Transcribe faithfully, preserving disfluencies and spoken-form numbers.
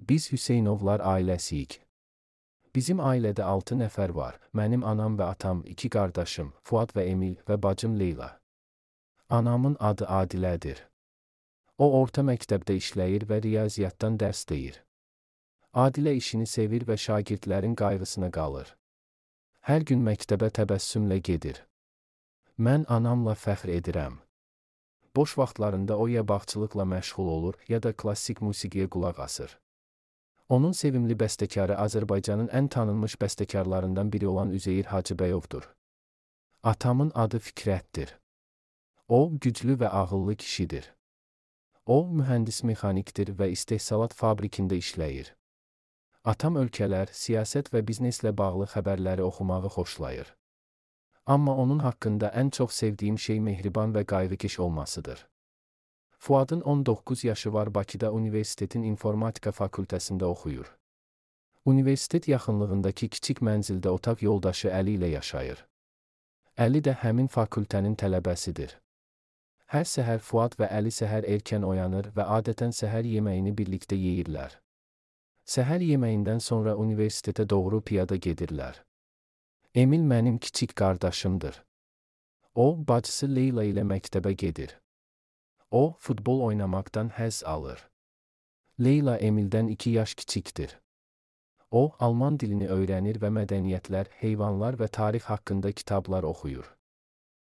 Biz Hüseynovlar ailəsiyik. Bizim ailədə altı nəfər var. Mənim anam və atam, iki qardaşım, Fuad və Emil və bacım Leyla. Anamın adı Adilədir. O orta məktəbdə işləyir və riyaziyyatdan dərs deyir. Adilə işini sevir və şagirdlərin qayğısına qalır. Hər gün məktəbə təbəssümlə gedir. Mən anamla fəxr edirəm. Boş vaxtlarında o ya bağçılıqla məşğul olur, ya da klassik musiqiyə qulaq asır. Onun sevimli bəstəkarı Azərbaycanın ən tanınmış bəstəkarlarından biri olan Üzeyir Hacıbəyovdur. Atamın adı Fikrətdir. O, güclü və ağıllı kişidir. O, mühəndis-mexanikdir və istehsalat fabrikində işləyir. Atam ölkələr, siyasət və bizneslə bağlı xəbərləri oxumağı xoşlayır. Amma onun haqqında ən çox sevdiyim şey mehriban və qayğıkeş olmasıdır. Fuadın on doqquz yaşı var, Bakıda universitetin informatika fakültəsində oxuyur. Universitet yaxınlığındakı kiçik mənzildə otaq yoldaşı Əli ilə yaşayır. Əli də həmin fakültənin tələbəsidir. Hər səhər Fuad və Əli səhər erkən oyanır və adətən səhər yeməyini birlikdə yeyirlər. Səhər yeməyindən sonra universitetə doğru piyada gedirlər. Emil mənim kiçik qardaşımdır. O, bacısı Leyla ilə məktəbə gedir. O, futbol oynamaqdan həzz alır. Leyla Emildən iki yaş kiçikdir. O, alman dilini öyrənir və mədəniyyətlər, heyvanlar və tarix haqqında kitablar oxuyur.